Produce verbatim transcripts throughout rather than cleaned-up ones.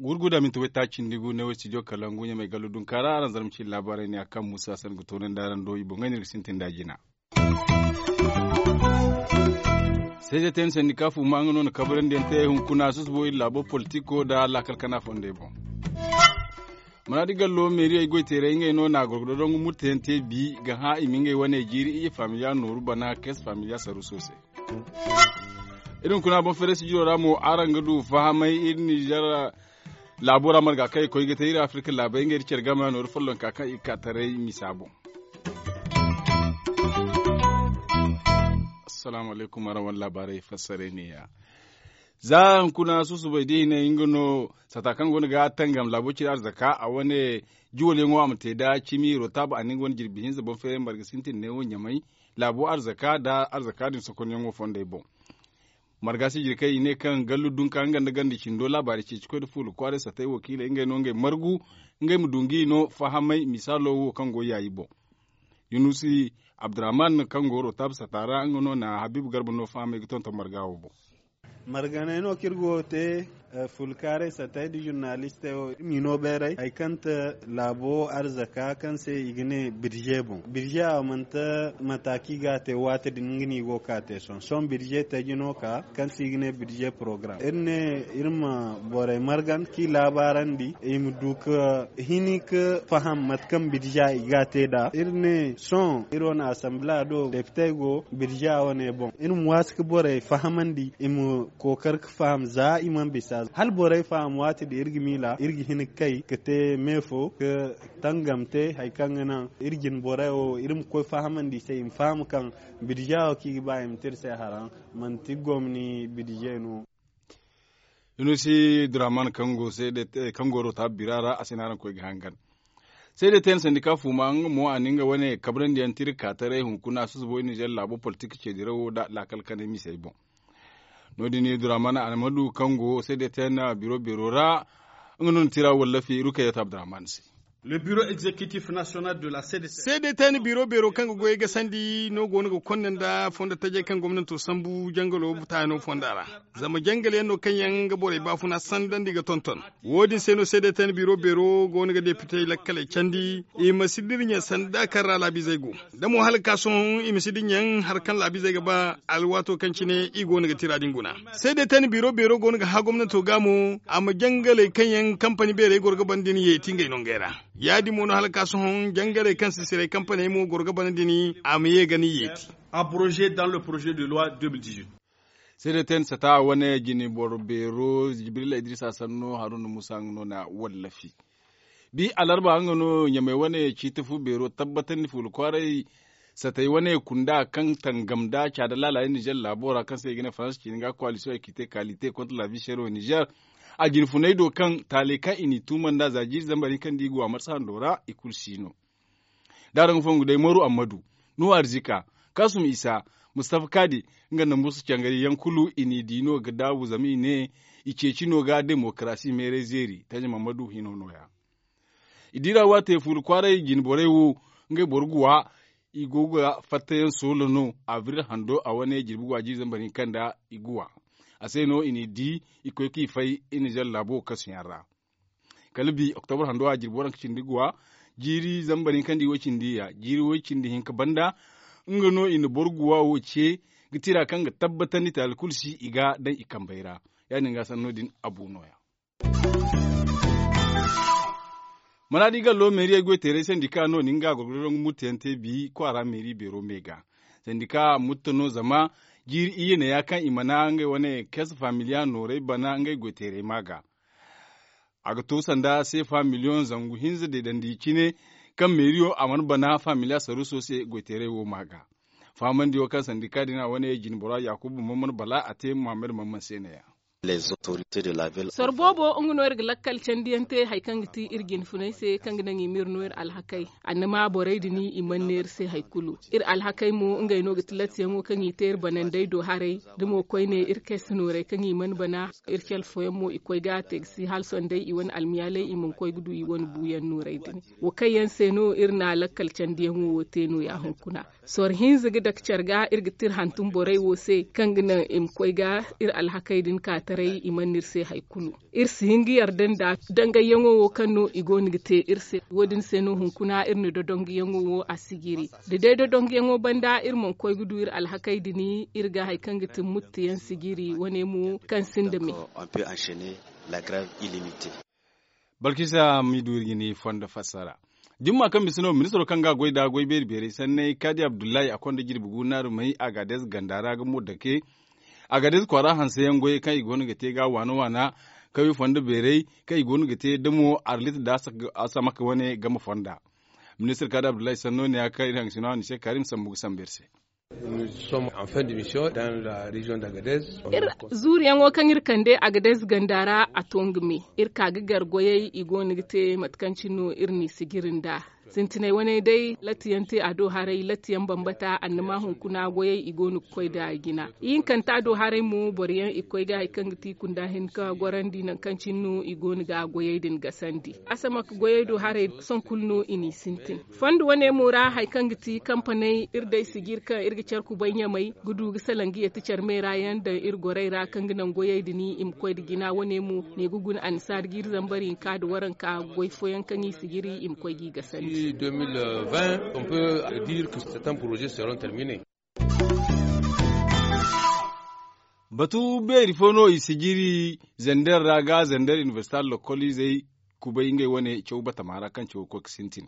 Gurguda minti way taaci nda gu ne way studio kalangu ɲamay gallu dunkaara araŋ zarma ci laabaarey ne a kaŋ muusa sanda ga toonandi araŋ do i boŋey no iri ga sintin nd'a jina. Seezetey na sandika fuuma nga no na kabrandi yaŋ te hunkuna susubo iri laabo politiko nda laakal kana fondey boŋ. Manaadi gallo meeriyey goyteerey ngey no na gorgodo dongu murte yaŋ te bi ga hã i ma ngey wane jiiri iyye faamiliya nooru bana kees faamiliya saruuso se. Iri hunkuna boŋ feere sijiro ra mo araŋ ga du fahamay iri nizer laabo ra marga kaŋ i koy ga te iri afirka laabey ngey nda care game nooru follonka kaŋ i ga ka taray misa boŋ. Assalaamu alaykum araŋ wane laabaarey fassarey ne ya. Za hunkuna susubay da i hine nga no sata kaŋ go no ga tangam laabo cine arzaka a wane juwalyaŋo a ma te nda cimi rotab a na nga wane jirbi hinza boŋ feeray marga sintin neewo ɲamay laabo arzaka nda arzaka din sokonyaŋo fondey boŋ. Marga sijiri kaŋ i ne kaŋ gallu dunka nga nda ganda cindo laabaari ceeci koy nda fuula kwaaray satay wakiiley ngey no ngey margu ngey ma du nga i no fahamay misaalo wo kaŋ go yaayi boŋ. Yunusi abdurrahman kaŋ go rotab sata ra nga no na habiibu garba no fahamay ga tonton marga wo boŋ. Marganey no kaŋ iri go ga te fulkaaray satay nda zurnalistey wo iri m'i no bayray hari kaŋ te laabo arzaka kaŋ se i ga ne birze boŋ birze a manti mata kaŋ i ga a te waati din nga no i go ga ka te sohõ sohõ birze taji no ka kaŋ se i ga ne birze porogaram iri ne iri ma borey margan kaŋ i laabaarandi i ma du ka hini ka faham mate kaŋ birze i ga a te nd'a iri ne sohõ iri wane asambila do depitey go birze wane boŋ iri ma waasi ka borey fahamandi i ma kookar ka faham za i mana bisa hala borey faham waati din iri ga miila iri ga hin ga kay ka te me fo ka tangam te hari kaŋ ga naŋ iri jine borey wo iri ma koy fahamandi i se i ma faham kaŋ bidija wo kaŋ i ga ba i ma te iri se haraŋ manti gomni bidije no. Yunusi duraman kaŋ go rotabu bira ra a se no araŋ koy ga hangan. Seede te na sandika fuuma nga mo a na nga wane kabrandi yaŋ tira ka taray hunkuna susubo i nizer laabo politik ceedirawo nda laakal kanay misey boŋ. No- din duraman almadu kaŋ go seede te na biro beero ra nga no na tira wallafi rukayat abdurrahman se. Le bureau executif national de la cdc. Seede te na biro beero kaŋ ga goyey gasandi no go no ga konda nda fondo tajey kaŋ gomnanto sambu jangalo taayano fonda ra. Zama jangal yaŋ no kaŋ yaŋ ga borey baafuna sandandi ga tonton. Wo- din se no seede te na biro beero go no ga depitey lakkaley candi i ma si dirɲa sanda kaŋ ra laabizey go da mo hala ga ka sohõ i ma si diɲaŋ hari kaŋ laabizey ga ba alwaato kaŋ cine i go no ga tira din guna. Seede te na biro beero go no ga hã gomnato ga mo a ma jangaley kaŋ yaŋ kampani beerey goro ga banda din yeeti ngey nongey ra. Ya- din mo no hala ga ka sohõ jangaley kaŋ sisiray kampaney mo goro ga banda din a ma ye ga ni yeeti. Abrogé dans le projet de loi deux mille dix-huit. Seede te na sata wane jine boro beero jibrila idrisa sanno haruna musa nga no na wallafi. Bi alarba nga no ɲamey wane ciiti fu beero tabbatandi fuula kwaaray satay wane kunda kaŋ tangam nda caada laala yaŋ nizer laabo ra kaŋ se i ga ne faransa ciini ga koalisiyoŋ ekite kalite kontra labi sero nizer. A jine funay do kaŋ taaley kaŋ i n'i tuuma nda za jiiri zambar hinka nda i go a marsa hando ra i kulu si no. Da araŋ ga fongu day maru ammadu nuhu arzika kasum isa mustafa kadi nga nda musa cangari yaŋ kulu i n'i di no ga daabu zama i ne i ceeci no ga demokarasi meeray zeeri taji mammadu hino no- ya. I dira waate fuula kwaaray jine borey wo ngey boro guwa i go ga fattayaŋ soola no abril hando a wane jirbi guwa jiiri zambar hinka nda i guwa. A se no i n'i di i koy kaŋ i fay i nizer laabo kasuyaŋ ra. Kala bi oktobar hando a jirbi waranka cindi guwa jiiri zambar hinka nda i way cindi ya jiiri way cindi hinka banda. Nga no i na boro guwa wo ce ga tira kaŋ ga tabbatandi taali kulu si i ga daŋ i kambey ra. Ya- din ga sanno din abu no- ya. Mana di gallo meeriyey goy teeray sandika no- din ga gorgodo dongu murte yaŋ te bi kwaara meeri beero me ga. Sandika mutta no zama jiiri iyye ne ya kaŋ i mana ngey wane kees familiya nooray bana ngey goy teeray ma ga. A ga to sanda seefa miliyoŋ zangu hinza deedandi cine kaŋ meeriyo a mana bana familiya saruuso se goy teeray wo ma ga. Fahamandi wo kaŋ sandika din a wane jine bora yakuba mamman bala a te muhammad mamman se ne- ya. Soro boobo nga no iri ga lakkal candiyaŋ te hari kaŋ ga ti iri jinfunay se kaŋ ga naŋ i ma iri no iri alhakey. Annama borey din i mana ne iri se hari kulu. Iri alhakey mo ngey no ga ti lattiyaŋo kaŋ i te iri banandey do haray da mo koyne iri kay si nooray kaŋ i mana bana. Iri cale fooyaŋ mo i koy ga a te ga si hala sohõ day i wane almiyaaley i mana koy ga du i wane buuyaŋ nooray din. Wo kaŋ yaŋ se no iri na lakkal candiyaŋo wo te nooya hunkuna. Sorro hinza ga dake care ga iri ga tira hantum borey wo se kaŋ ga naŋ i ma koy ga iri alhakey din ka taray i mana no iri se hari kulu. Iri si hin ga yarda nda dangayyaŋo wo kaŋ no i go no ga te iri se. Wo- din se no hunkuna iri na dodonguyaŋo wo a si jiri. Da day dodonguyaŋo banda iri mana koy ga du iri alhakey din, iri ga hari kaŋ ga ti muttuyaŋ si jiri wane mo kaŋ sinda me. Balkisa ma i du iri jine fondo fassara. Jumma kaŋ bisa no ministiro kaŋ ga a goy nda goy beeri beerey sanney kaadi abdullahi a konda jirbi gu naarumey agadez ganda ra ga mo dake. Agadez kwaara hanseyaŋ goyey kaŋ i go no ga te ga waana waana kawye fondo beerey kaŋ i go no ga te da mo arlit nda asamak wane game fonda. Ministir kaadi abdullahi sanno ne ya kaŋ iri hangasino a ni se karim sambu ga sambu iri se. Iri zuuriyaŋo kaŋ iri kande agadez ganda ra a to nga me. Iri ka ga gar goyey i go no ga te mate kaŋ cine no iri n'i sijiri nd'a. Sintinay wane day lattiyaŋ te a do haray lattiyaŋ bambata annama hunkuna goyey i go no ga koy nd'a jina. Ihinkanta do haray mo boro yaŋ i ga koy ga hari kaŋ ga ti i kunda hin ga gorandi nangu kaŋ cine no i go no ga goyey din gasandi. Asamak goyey do haray sohõ kulu no i n'i sintin. Fondo wane mo ra hari kaŋ ga ti kampaney iri day sijiri kaŋ iri ga care kubay ɲamay ga du ga salaŋ ga yeeti care meera yaŋ daŋ iri gorey ra kaŋ ga naŋ goyey din i ma koy nda jina wane mo ne ga guna annisaari jiiri zambar hinka nda waranka goy fooyaŋ kaŋ i sijiri i ma koy g'i gasandi. Batu beeri fo no i sijiri zander ra ga zander inibersita lokoliizey kubay ngey wane caw batama ra kaŋ cawo ga koy ga sintin.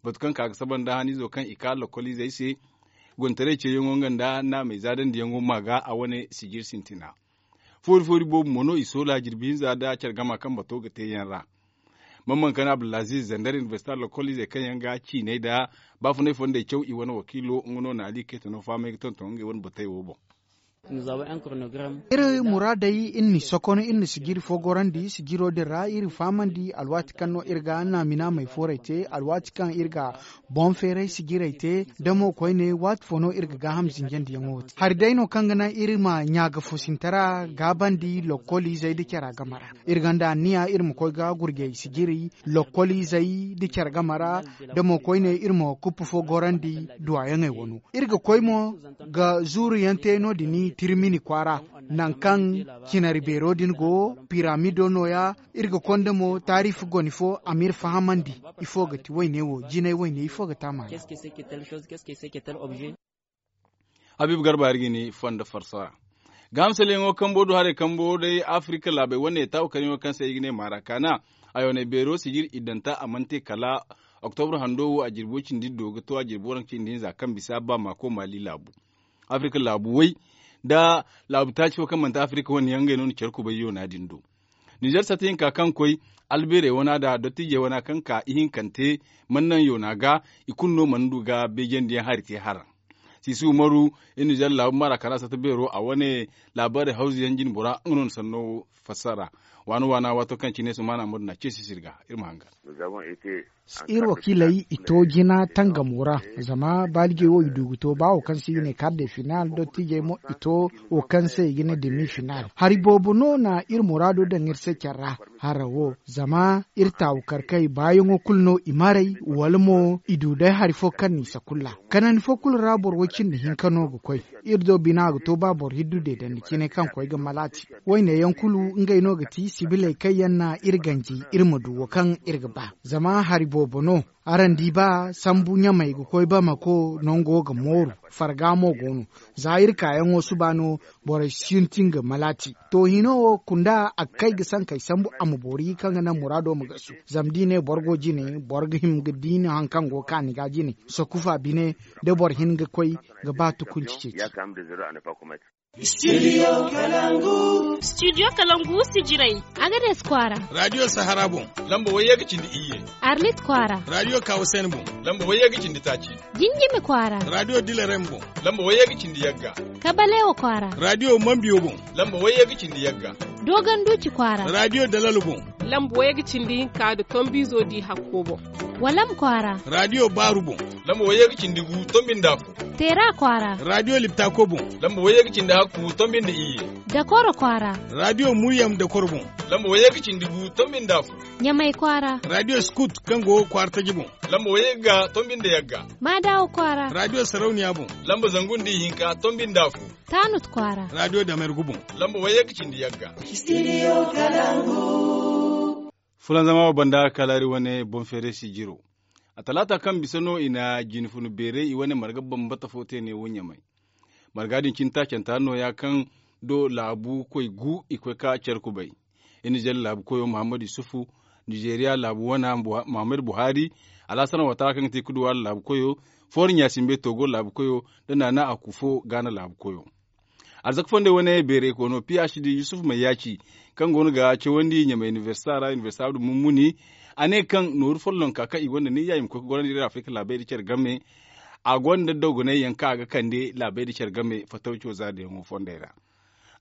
Batu kaŋ ka ga saba nda haniizo kaŋ i ka lokoliizey se gontaray ceeyaŋo nga nda naamey zaadandiyaŋo ma ga a wane sijiri sintina. Foori foori boobo mo no i soola jirbi hinza nda care gama kaŋ bato ga te yaŋ ra. Mamman kana abdulaziz zander inibersita lokoliizey kaŋ yaŋ ga ciiney nda baafunay fondey caw i wane wakiilo nga no na ali kaytano fahamay ga tonton ngey wane batey wo boŋ. Iri muraadey iri n'i sokono iri na sijiri fo gorandi sijiro din ra iri fahamandi alwaati kaŋ no iri ga naamina may fooray te alwaati kaŋ iri ga boŋ feeray sijirey te da mo koyne waati fo no iri ga gaaham zinjandiyaŋo te hari day no kaŋ ga naŋ iri ma ɲaagafoosintara gaabandi lokkoliizey nda cara game ra. Iri gonda anniya iri ma koy ga gurjey sijiri lokkoliizey nda care game ra da mo koyne iri ma kuppu fo gorandi duwayaŋey wano. Iri ga koy mo ga zuuru yaŋ te no- din tirmini kwaara nangu kaŋ cinari beero din go piramido nooya. Iri ga konda mo taariifi goni fo a m'iri fahamandi ifo ga ti wayne wo jinay wayne ifo ga te a maana. Habiibu garba iri ga ni fondo farso ra. Gaaham saleyaŋo kambo do haray kambo day afirika laabey wane taawu karyaŋo kaŋ se i ga ne marakana. Ayooney beero sijiri iddanta a mana te kala oktobro hando wo a jirbo cindi do ga to a jirbo waranka cindi hinza kaŋ bisa ba maako maali laabu. Afirika laabu way nda laabu taaci fo kaŋ manti afirika wane yaŋ ngey no na care kubay yoona din do. Nizer sata hinka kaŋ koy albeerey wana nda dottiijey wana kaŋ ka ihinkante mana naŋ yoona ga i kulu no mana du ga beejandiyaŋ hari te haraŋ. Sisi umaru iri nizer laabu mara kala sata beero a wane laabaarey hawzu yaŋ jinbora nga no na sanno fassara. Waana waana waato kaŋ cine sumaana madu na ceesi sirga iri ma hangan. Iri wakiiley i to jina tangamo ra zama baalijey wo i du ga to ba wo kaŋ se i ga ne kar de final dottiijey mo i to wo kaŋ se i ga ne demi final hari boobo no na iri muraado daŋ iri se care ra. Hara wo zama iri taawu karkey baayaŋo kulu no i maray wala mo i du day hari fo kaŋ n'i sakulla kanandi fo kulu ra boro way cindi hinka no ga koy. Iri do bina ga to ba boro hiddu deedandi cine kaŋ koy ga malaati. Wayne yaŋ kulu ngey no ga ti sibiley kaŋ yaŋ na iri ganji iri ma du wo kaŋ iri ga ba zama hari boobo no. Araŋ di ba sambu ɲamey ga koy bamako nango ga mooru farga mo go no. Za iri kaayaŋo suba no borey sintin ga malaati. To hino wo kunda a ga kay ga sankey sambu a ma boori kaŋ ga naŋ muraado ma gasu. Zama da i ne boro go jine boro ga hima ga diina hari kaŋ go kaani ga jine sakufa bine da boro hin ga koy ga ba tukunci ceeci. Studio kalangu. Studio kalangu sijirey. Agades kwaara. Radio sahara boŋ. Lamba wayye ga cindi iyye. Arlit kwaara. Radio kawasen boŋ. Lamba wayye ga cindi taaci. Jinjimi kwaara. Radio dilarem boŋ. Lamba wayye ga cindi yagga. Kabalewo kwaara. Radio mambiyo boŋ. Lamba wayye ga cindi yagga. Dogon duuci kwaara. Radio dalalo boŋ. Lamba wayye ga cindi hinka da tombizo di hakko boŋ. Walam kwaara. Radio baaru boŋ. Lamba wayye ga cindi gu tombi nda afo. Teera kwaara. Radio liptako boŋ. Lamba wayye ga cindi hakku tombi nda iyye. Dakoro kwaara. Radio muryam dakoro boŋ. Lamba wayye ga cindi gu tombi nda afo. Ɲamay kwaara. Radio scout kaŋ go kwaara taji boŋ. Lamba wayye ga tombi nda yagga. Maadawo kwaara. Radio sarauniya boŋ. Lamba zangu nda ihinka tombi nda afo. Taanut kwaara. Radio damergu boŋ. Lamba wayye ga cindi yagga. Studio kalangu. Fulanzama wo banda kalaari wane boŋ feere sijiro. A talaata kaŋ bisa no i na jinfunu beeray i wane marga bambata fo te neewo ɲamay. Marga din cine taacanta nooya kaŋ do laabu koy gu i koy ka care kubay. Nizer laabu koyo muhammad yusufu, nizeriya laabu wana muhammad buhari, alhassan watara kaŋ ga te kuduwaari laabu koyo, foori ɲaasimbe togo laabu koyo, nda naana akufo gaana laabu koyo. Arzaka fondey wane beeray koono phd yusuf mayyaci, kaŋ go no ga cawandi ɲamay inibersita ra inibersita abdu mummuni, a ne kaŋ nooru follonka kaŋ i gonda ne ya i ma koy ga gorandi iri afirika laabey nda care game. A gonda dogonay yaŋ kaŋ a ga kande laabey nda care game fatawco zaadayaŋo fondey ra.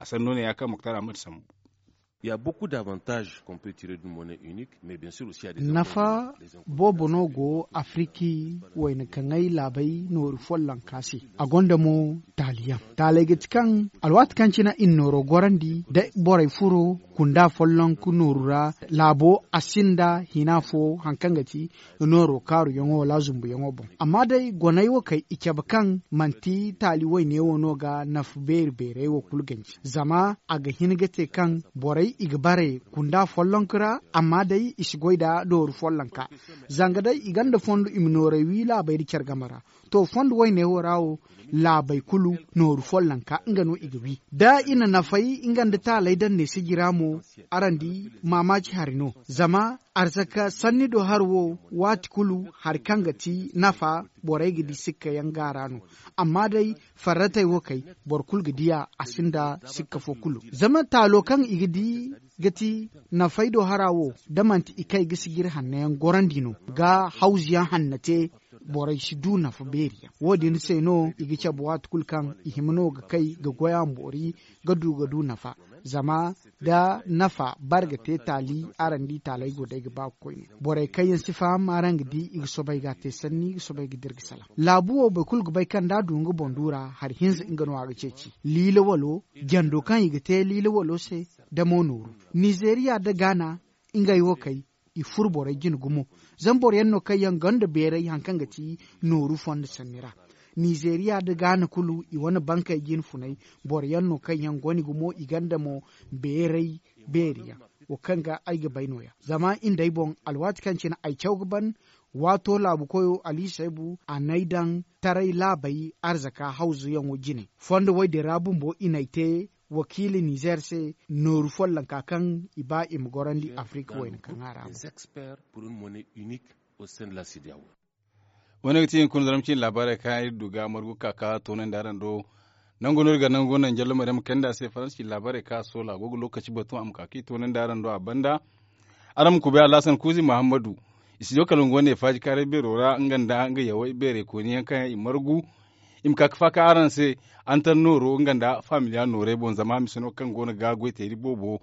A sanno ne ya kaŋ muktar ahmad sambu. Nafa boobo no go afriki wayna kaŋay laabey nooru follonka se. A gonda mo taaliyaŋ taaley ga ti kaŋ alwaati kaŋ cine i na nooro gorandi da borey furo kunda folloŋ ka nooru ra. Laabo a sinda hina fo hari kaŋ ga ti nooro kaaruyaŋo wala zumbuyaŋo boŋ. Amma day goney wo kay i cabe kaŋ manti taali wayne wo no ga nafa beeri beerey wo kulu ganji zama a ga hin ga te kaŋ borey i ga bare kunda follonka ra. Amma day i si goy nda nooru follonka zanga day i gonda fondo i ma noorey wi laabey nda care game ra. To fondo wayne wo ra wo laabey kulu nooru follonka nga no i ga wi da i na nafay nga nda taaley daŋ ne sijira mo. Araŋ di maamaaci hari no zama arzaka sanni do hari wo waati kulu hari kaŋ ga ti nafa borey ga di sikka yaŋ gaara no. Amma day farratey wo kay boro kulu ga diya a sinda sikka fo kulu zama taalo kaŋ i ga di ga ti nafay do hara wo da manti i kay ga sijiri hanno yaŋ gorandi no ga hawzu yaŋ hanno te. Borey si du nafa beeri yaŋ wo- din se no i ga cabe waati kulu kaŋ i hima no ga kay ga goy a ma boori ga du ga du nafa. Zama da nafa bare ga te taali araŋ di taaley go day ga ba ga koyne borey kaŋ yaŋ si faham araŋ ga di i ga soobay ga a te sanni i ga soobay ga dira ga salaŋ. Laabu wo boro kulu ga bay kaŋ da a du nga boŋ du ra hari hinza nga no a ga ceeci. Liila walo jando kaŋ i ga te liila walo se da mo nooru. Nizeriya nda gaana ngey wo kay i furo borey jine gumo. Zama boro yaŋ no kaŋ yaŋ gonda beeray hari kaŋ ga ti nooru fondo sanni ra. Nizeriya nda gaana kulu i wane bankey jine funay boro yaŋ no kaŋ yaŋ gone gumo i gonda mo beeray beeri yaŋ. Wo kaŋ ga ay ga bay no- ya zama i nda ay boŋ alwaati kaŋ cine ay caw ga ban. Waato laabu koyo ali saybu a n'ay daŋ taray laabey arzaka hawzu yaŋo jine fondo wo- din ra bumbo i n'ay te wakiila nizer se nooru follonka kaŋ i ba i ma gorandi afirika wayna kaŋ a ra. Wane ga ti hinkuna zaram cine laabaarey kaŋ iri du ga margu ga ka ka toonandi araŋ do. Nangu no iri ga nangu naŋ jallo maryaŋ ma kande a se faransa cine laabaarey kaŋ a soola a go ga lookaci batu a ma ka ka i toonandi araŋ do a banda. Araŋ ma kubay alhasan kuuzi muhammadu. Istijo kala nga wane faaji kaaray beero ra nga nda nga yawey beerey kooni yaŋ kaŋ yaŋ i margu. I ma ka ga faaka araŋ se antar nooro nga nda faamiliya noorey boŋ zama mise no kaŋ go no ga goy teeri boobo.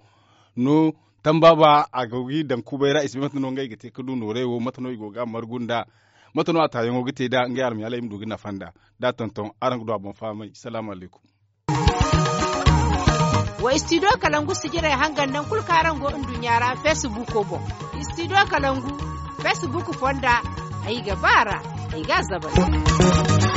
No tambaaba a go g'i daŋ kubay ra i si bay mate no ngey ga te ga du noorey wo mate no i go ga a margu nd'a? Mate no a taayaŋo ga te nd'a ngey almayaaley ma du ga nafa nd'a? D'a tonton araŋ ga du a boŋ fahamay salaamu alaykum. Wa istidiyo kalangu sijirey hangan naŋ kulu kaŋ araŋ go nduɲɲa ra feesibuuko boŋ. Istidiyo kalangu feesibuuku fonda ay ga ba a ra. Ay ga a zabari.